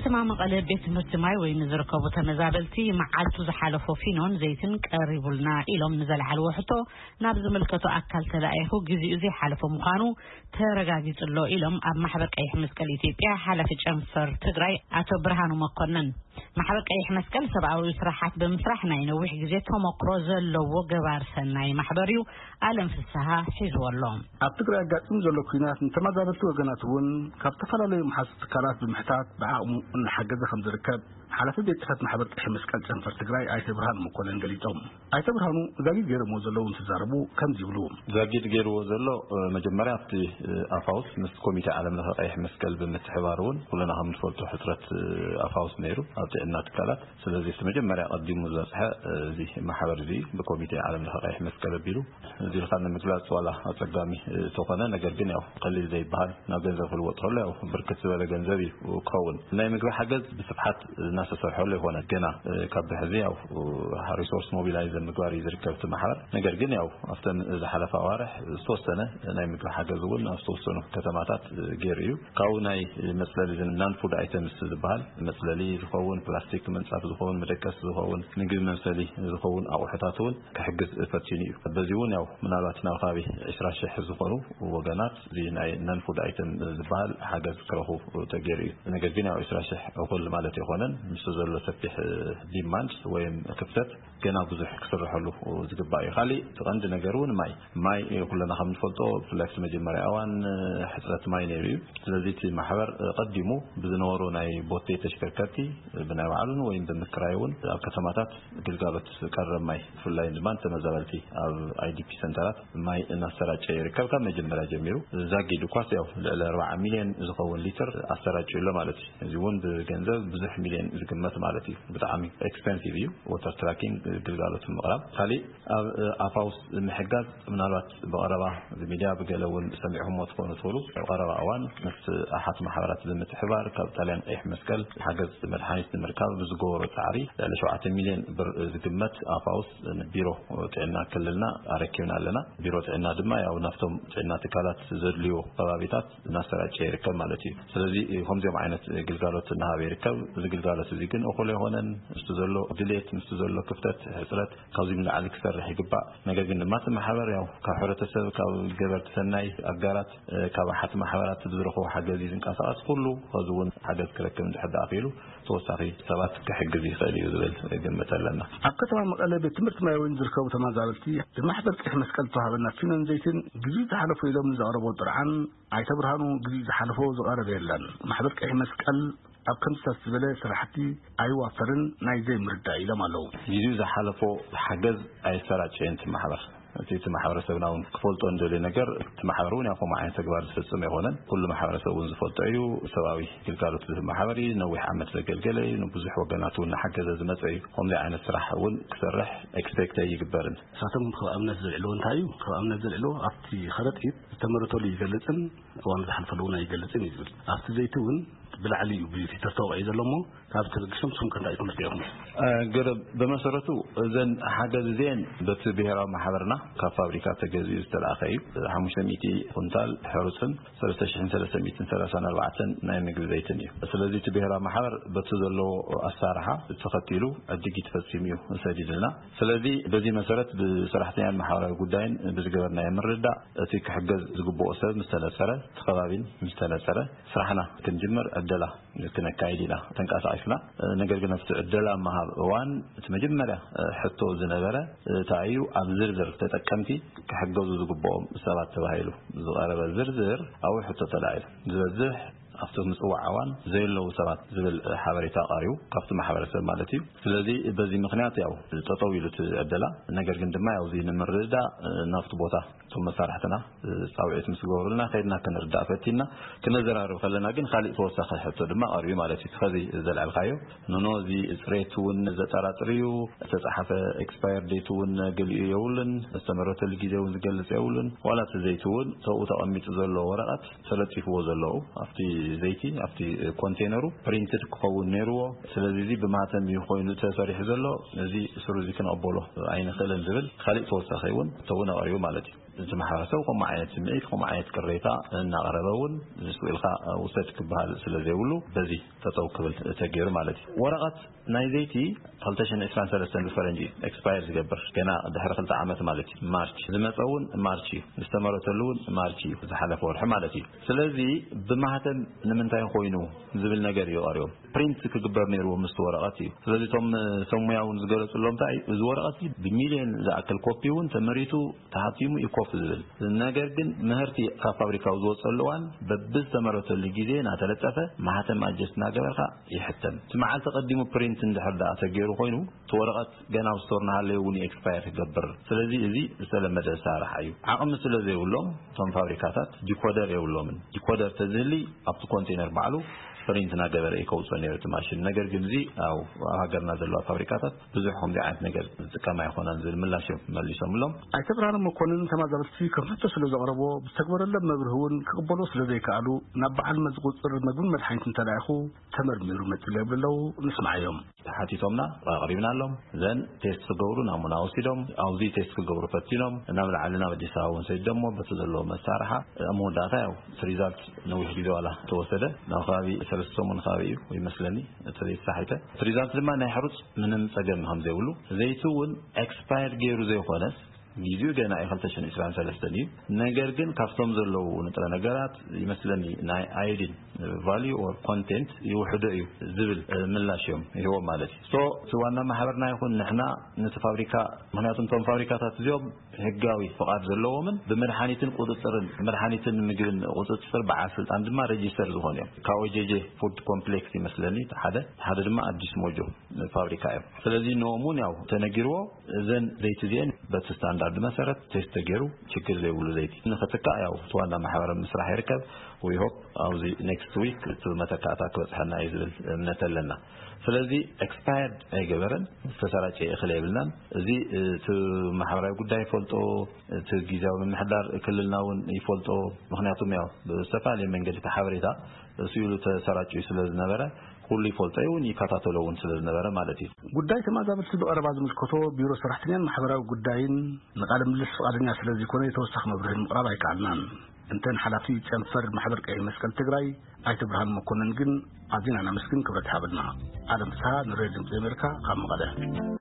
ከተማ መቐለ ቤት ትምህርቲ ማይ ወይ ንዝርከቡ ተመዛበልቲ መዓልቱ ዝሓለፎ ፊኖን ዘይትን ቀሪቡልና ኢሎም ንዘለዓልዎ ሕቶ፣ ናብ ዝምልከቶ ኣካል ተላኢኹ ግዜኡ ዘይሓለፎ ምዃኑ ተረጋጊጹ ኣሎ ኢሎም ኣብ ማሕበር ቀይሕ መስቀል ኢትዮጵያ ሓላፊ ጨንፈር ትግራይ ኣቶ ብርሃኑ መኮንን። ማሕበር ቀይሕ መስቀል ሰብኣዊ ስራሓት ብምስራሕ ናይ ነዊሕ ግዜ ተመክሮ ዘለዎ ገባር ሰናይ ማሕበር እዩ። ኣለም ፍስሃ ሒዝዎ ኣሎ። ኣብ ትግራይ ኣጋጢሙ ዘሎ ኲናት ንተመዛበልቲ ወገናት እውን ካብ ዝተፈላለዩ መሓዙት ትካላት ብምሕታት ብዓቕሙ እናሓገዘ ከም ዝርከብ ሓላፊ ቤት ጽሕፈት ማሕበር ቀይሕ መስቀል ጨንፈር ትግራይ ኣይተ ብርሃኑ መኮንን ገሊጾም። ኣይተ ብርሃኑ ዛጊድ ገይሮምዎ ዘለዉ እንትዛረቡ ከምዚ ይብሉ። ዛጊድ ገይርዎ ዘሎ፣ እ፣ መጀመርያ ኣብቲ፣ እ፣ ኣፋውስ ምስ ኮሚቴ ዓለም ለኸ ቀይሕ መስቀል ብምትሕባር እውን ኩለና ከም ንፈልጦ ሕጽረት፣ እ፣ ኣፋውስ ነይሩ ኣብ ጥዕና ትካላት። ስለዚ እቲ መጀመርያ ቀዲሙ ዝበጽሐ፣ እ፣ እዚ ማሕበር እዚ ብኮሚቴ ዓለም ለኸ ቀይሕ መስቀል ኣቢሉ እዚ ኢልካ ንምግላጽ ዋላ ኣጸጋሚ፣ እ፣ ተኾነ፣ ነገር ግን ያው ቀሊል ዘይበሃል ናብ ገንዘብ ክልወጥ ከሎ ያው ብርክት ዝበለ ገንዘብ እዩ ክኸውን። ናይ ምግቢ ሓገዝ ብስፍሓት እናተሰርሐሉ ይኾነ ገና፣ እ፣ ካብ ብሕዚ ያው፣ እ፣ ሪሶርስ ሞቢላይዝ ምግባር እዩ ዝርከብ እቲ ማሕበር። ነገር ግን ያው ኣብተን ዝሓለፋ ኣዋርሕ ዝተወሰነ ናይ ምግቢ ሓገዝ እውን ኣብ ዝተወሰኑ ከተማታት፣ እ፣ ገይሩ እዩ። ካብኡ ናይ መጽለሊ ዝን-፣ ናን ፉድ ኣይተምስ ዝበሃል መጽለሊ ዝኸውን፣ ፕላስቲክ ምንጻፍ ዝኸውን፣ መደቀሲ ዝኸውን፣ ምግቢ መምሰሊ ዝኸውን ኣቑሑታት እውን ክሕግዝ ፈቲኑ እዩ። በዚ እውን ያው ምናልባት ናብ ከባቢ ዕስራ ሺሕ ዝኾኑ ወገናት እዚ ናይ ናን ፉድ ኣይተም ዝበሃል ሓገዝ ክረኽቡ ተገይሩ እዩ። ነገር ግን ያው ዕስራ ሺሕ እኹል ማለት ኣይኮነን። ምስ ዘሎ ሰፊሕ ዲማንድ ወይም ክፍተት ገና ብዙሕ ክስርሐሉ ዝግባእ እዩ። ካሊእ እቲ ቀንዲ ነገር እውን ማይ፣ ማይ ኩለና ከም ንፈልጦ ብፍላይ ኣብቲ መጀመርያ እዋን ሕፅረት ማይ ነይሩ እዩ። ስለዚ እቲ ማሕበር ቀዲሙ ብዝነበሩ ናይ ቦቴ ተሽከርከርቲ ብናይ ባዕሉን ወይም ብምክራይ እውን ኣብ ከተማታት ግልጋሎት ቀረብ ማይ ብፍላይ ድማ ንተመዛበልቲ ኣብ ኣይዲፒ ሰንተራት ማይ እናሰራጨ ይርከብ። ካብ መጀመርያ ጀሚሩ ዛጊድ ኳስ ያው ልዕሊ ኣርባዓ ሚልዮን ዝኸውን ሊትር ኣሰራጭ ኣሎ ማለት እዩ። እዚ እውን ብገንዘብ ብዙሕ ሚልዮን ዝግመት ማለት እዩ። ብጣዕሚ ኤክስፐንሲቭ እዩ። ወተር ትራኪንግ ግልጋሎት ምቕራብ። ካሊእ ኣብ ኣፋውስ ምሕጋዝ ምናልባት ብቐረባ ብሚድያ ብገለ እውን ሰሚዕኹሞ ትኾኑ ትኽእሉ። ኣብ ቀረባ እዋን ምስ ኣሓት ማሕበራት ብምትሕባር ካብ ጣልያን ቀይሕ መስቀል ሓገዝ መድሓኒት ንምርካብ ብዝገበሮ ጻዕሪ ልዕሊ ሸውዓተ ሚልዮን ብር ዝግመት ኣፋውስ ንቢሮ ጥዕና ክልልና ኣረኪብና ኣለና። ቢሮ ጥዕና ድማ ያው ናብቶም ጥዕና ትካላት ዘድልዮ ከባቢታት እናሰራጨ ይርከብ ማለት እዩ። ስለዚ ከምዚኦም ዓይነት ግልጋሎት እናሃበ ይርከብ። እዚ ግልጋሎት እዚ ግን እኹል ኣይኮነን። ምስቲ ዘሎ ድሌት፣ ምስቲ ዘሎ ክፍተት፣ ሕፅረት ካብዚ ንላዕሊ ክሰርሕ ይግባእ። ነገር ግን ድማ እቲ ማሕበር ያው ካብ ሕብረተሰብ፣ ካብ ገበርቲ ሰናይ ኣጋራት፣ እ፣ ካብ ኣሓት ማሕበራት ብዝረኽቦ ሓገዝ እዩ ዝንቀሳቐስ። ኩሉ ከዚ እውን ሓገዝ ክረክብ እንድሕር ደኣ ክኢሉ ተወሳኺ ሰባት ክሕግዝ ይኽእል እዩ ዝብል ግምት ኣለና። ኣብ ከተማ መቐለ ቤት ትምህርቲ ማይ ወይን ዝርከቡ ተመዛበልቲ ብማሕበር ቀይሕ መስቀል ዝተዋሃበና ፊኖን ዘይትን ግዜኡ ዝሓለፎ ኢሎም ንዘቕረቦ ጥርዓን ኣይተ ብርሃኑ ግዜኡ ዝሓለፎ ዝቐረበ የለን። ማሕበር ቀይሕ መስቀል ኣብ ከምዚታት ዝበለ ስራሕቲ ኣይዋፈርን ናይ ዘይምርዳእ ኢሎም ኣለዉ። ግዜኡ ዝሓለፎ ሓገዝ ኣይሰራጨየን እቲ ማሕበር። እቲ፣ እቲ ማሕበረሰብና እውን ክፈልጦ እንደልዮ ነገር፣ እቲ ማሕበር እውን ያው ከምኡ ዓይነት ተግባር ዝፍጽም ኣይኮነን። ኩሉ ማሕበረሰብ እውን ዝፈልጦ እዩ። ሰብኣዊ ግልጋሎት ዝህብ ማሕበር እዩ። ነዊሕ ዓመት ዘገልገለ እዩ። ንብዙሕ ወገናት እውን እናሓገዘ ዝመጸ እዩ። ከምዚ ዓይነት ስራሕ እውን ክሰርሕ ኤክስፔክት ኣይግበርን። ንሳቶም ከም ኣብነት ዘልዕልዎ እንታይ እዩ? ከም ኣብነት ዘልዕልዎ ኣብቲ ከረጢት ዝተመረተሉ ይገልጽን እዋኑ ዝሓልፈሉ እውን ኣይገልጽን እዩ ዝብል። ኣብቲ ዘይቲ እውን ብላዕሊ እዩ ብፊተር ተወቒዑ ዘሎ እሞ፣ ካብ ተበጊሶም ስም ከንዳ ኣይትምህርቲ ኢኹም። እ፣ ገለ ብመሰረቱ እዘን ሓገዝ እዚአን በቲ ብሔራዊ ማሕበርና ካብ ፋብሪካ ተገዚኡ ዝተላእኸ እዩ። ሓሙሽተ ሚእቲ ኩንታል ሕሩፅን ሰለስተ ሽሕን ሰለስተ ሚእትን ሰላሳን ኣርባዕተን ናይ ምግቢ ዘይትን እዩ። ስለዚ እቲ ብሔራዊ ማሕበር በቲ ዘለዎ ኣሳርሓ ተኸቲሉ ዕድጊት ፈፂሙ እዩ ሰዲድልና። ስለዚ በዚ መሰረት ብሰራሕተኛን ማሕበራዊ ጉዳይን ብዝገበርናዮ ምርዳእ እቲ ክሕገዝ ዝግብኦ ሰብ ምስ ተነፀረ፣ እቲ ከባቢን ምስ ተነፀረ ስራሕና ክንጅምር ዕደላ ክነካይድ ኢና ተንቀሳቒስና። ነገር ግን ኣብቲ ዕደላ ምሃብ እዋን እቲ መጀመርያ ሕቶ ዝነበረ እንታይ እዩ፣ ኣብ ዝርዝር ተጠቀምቲ ክሕገዙ ዝግብኦም ሰባት ተባሂሉ ዝቐረበ ዝርዝር ኣብኡ ሕቶ ተላዒሉ። ዝበዝሕ ኣብቲ ምጽዋዕ እዋን ዘየለዉ ሰባት ዝብል ሓበሬታ ቀሪቡ ካብቲ ማሕበረሰብ ማለት እዩ። ስለዚ በዚ ምኽንያት ያው ጠጠው ኢሉ እቲ ዕደላ። ነገር ግን ድማ ያው እዚ ንምርዳእ ናብቲ ቦታ እቶም መሳርሕትና ጻውዒት ምስ ገበሩልና ከይድና ክንርዳእ ፈቲና። ክነዘራርብ ከለና ግን ካሊእ ተወሳኺ ሕቶ ድማ ቀሪቡ ማለት እዩ። ከዚ ዘልዐልካዮ ንኖ እዚ ጽሬት እውን ዘጠራጥር እዩ። ዝተጻሓፈ ኤክስፓየር ዴት እውን ገሊኡ የብሉን። ዝተመረተሉ ግዜ እውን ዝገልጽ የብሉን። ዋላ እቲ ዘይቲ እውን ተብኡ ተቐሚጡ ዘሎ ወረቐት ተለጢፍዎ ዘለዉ ኣብቲ ዘይቲ ኣብቲ ኮንቴነሩ ፕሪንትድ ክኸውን ነይርዎ። ስለዚ እዚ ብማህተም እዩ ኮይኑ ተሰሪሑ ዘሎ። እዚ ስሩ እዚ ክንቕበሎ ኣይንኽእልን ዝብል ካሊእ ተወሳኺ እውን ተውን ኣቕሪቡ ማለት እዩ። እቲ ማሕበረሰብ ከምኡ ዓይነት ስምዒት፣ ከምኡ ዓይነት ቅሬታ እናቐረበ እውን ንሱ ኢልካ ውሰድ ክበሃል ስለ ዘይብሉ፣ በዚ ጠጠው ክብል ተገይሩ ማለት እዩ። ወረቐት ናይ ዘይቲ ክልተ ሽሕን ዕስራን ሰለስተን ብፈረንጂ ኤክስፓየር ዝገብር፣ ገና ድሕሪ ክልተ ዓመት ማለት እዩ። ማርች ዝመፀ እውን ማርች እዩ፣ ዝተመረተሉ እውን ማርች እዩ፣ ዝሓለፈ ወርሒ ማለት እዩ። ስለዚ ብማህተም ንምንታይ ኮይኑ ዝብል ነገር እዩ ቀሪቦም። ፕሪንት ክግበር ነይርዎ ምስቲ ወረቐት እዩ። ስለዚ እቶም ሰብ ሙያ እውን ዝገለፁሎም እንታይ እዩ፣ እዚ ወረቐት እዚ ብሚልዮን ዝኣክል ኮፒ እውን ተመሪቱ ተሓቲሙ እዩ ኮፍ ዝብል። ነገር ግን ምህርቲ ካብ ፋብሪካው ዝወፀሉ እዋን በብዝተመረተሉ ግዜ እናተለጠፈ ማህተም ኣጀስት እናገበርካ ይሕተም። እቲ መዓልቲ ቀዲሙ ፕሪንት እንድሕር ደኣ ተገይሩ ኮይኑ እቲ ወረቐት ገና ኣብ ስቶር እናሃለየ እውን ኤክስፓየር ክገብር። ስለዚ እዚ ዝተለመደ ኣሰራርሓ እዩ። ዓቕሚ ስለ ዘይብሎም እቶም ፋብሪካታት ዲኮደር የብሎምን። ዲኮደር ተዝህሊ ኣብቲ ኮንቴነር ባዕሉ ፕሪንት እናገበረ እዩ ከውፅኦ ነይሩ እቲ ማሽን። ነገር ግን እዚ ኣብ ሃገርና ዘለዋ ፋብሪካታት ብዙሕ ከምዚ ዓይነት ነገር ዝጥቀማ ኣይኮናን ዝብል ምላሽ እዮም መሊሶምሎም። ኣይተ ብርሃነ መኮንን ተማዛበልቲ ከም ሕቶ ስለ ዘቕረቦ ብዝተግበረሎም መብርሂ እውን ክቕበሎ ስለ ዘይከኣሉ ናብ በዓል መዚ ቁፅፅር መግብን መድሓኒትን ተላኢኹ ተመርሚሩ መፂሉ የብሉ ኣለዉ። ንስማዓዮም። ተሓቲቶምና ኣቕሪብናሎም። ዘን ቴስት ክገብሩ ናሙና ወሲዶም ኣብዚ ቴስት ክገብሩ ፈቲኖም ናብ ላዕሊ ናብ ኣዲስ ኣበባ እውን ሰዲዶሞ በቲ ዘለዎ መሳርሓ ኣብ መወዳእታ ያው እቲ ሪዛልት ነዊሕ ግዜ ዋላ ተወሰደ ናብ ከባቢ ሰለስተ ሰሙን ከባቢ እዩ ይመስለኒ እቲ ዘይተሳሒተ እቲ ሪዛልት ድማ ናይ ሕሩፅ ምንም ፀገም ከም ዘይብሉ ዘይቲ እውን ኤክስፓየር ገይሩ ዘይኮነስ ጊዜኡ ገና እዩ ክልተ ሽሕን ዕስራን ሰለስተን እዩ። ነገር ግን ካብቶም ዘለዉ ንጥረ ነገራት ይመስለኒ ናይ ኣዮዲን ቫልዩ ኦር ኮንቴንት ይውሕዶ እዩ ዝብል ምላሽ እዮም ይህቦም ማለት እዩ። ሶ እቲ ዋና ማሕበርና ይኹን ንሕና ነቲ ፋብሪካ ምክንያቱ እቶም ፋብሪካታት እዚኦም ህጋዊ ፍቓድ ዘለዎምን ብመድሓኒትን ቁፅፅርን መድሓኒትን ምግብን ቁፅፅር በዓል ስልጣን ድማ ሬጂስተር ዝኾኑ እዮም። ካብ ኦጀጀ ፉድ ኮምፕሌክስ ይመስለኒ ሓደ ሓደ ድማ ኣዲስ ሞጆ ፋብሪካ እዮም። ስለዚ ንኦም እውን ያው ተነጊርዎ እዘን ዘይቲ እዚአን በቲ ስታንዳርድ መሰረት ቴስት ተገይሩ ችግር ዘይብሉ ዘይቲ ንኽትካእ ያው እቲ ዋና ማሕበረ ምስራሕ ይርከብ። ዊሆፕ ኣብዚ ኔክስት ዊክ እቲ መተካእታ ክበፅሐና እዩ ዝብል እምነት ኣለና። ስለዚ ኤክስፓየርድ ኣይገበረን ዝተሰራጨ እኽል የብልናን። እዚ እቲ ማሕበራዊ ጉዳይ ይፈልጦ፣ እቲ ግዜያዊ ምምሕዳር ክልልና እውን ይፈልጦ። ምክንያቱም ያው ብዝተፈላለየ መንገዲ እቲ ሓበሬታ እሱ ኢሉ ተሰራጭዩ ስለ ዝነበረ ኩሉ ይፈልጦ እውን ይከታተሎ እውን ስለ ዝነበረ ማለት እዩ። ጉዳይ ተማዛበልቲ ብቐረባ ዝምልከቶ ቢሮ ሰራሕተኛን ማሕበራዊ ጉዳይን ንቃለ ምልልስ ፍቓደኛ ስለ ዘይኮነ የተወሳኺ መብርሂ ንምቕራብ ኣይከኣልናን። እንተን ሓላፊ ጨንፈር ማሕበር ቀይሕ መስቀል ትግራይ ኣይተ ብርሃን መኮንን ግን ኣዚና ነመስግን ክብረት ይሃበልና። ኣለም ፍስሃ ንሬድዮ ድምፂ ኣሜሪካ ካብ መቐለ።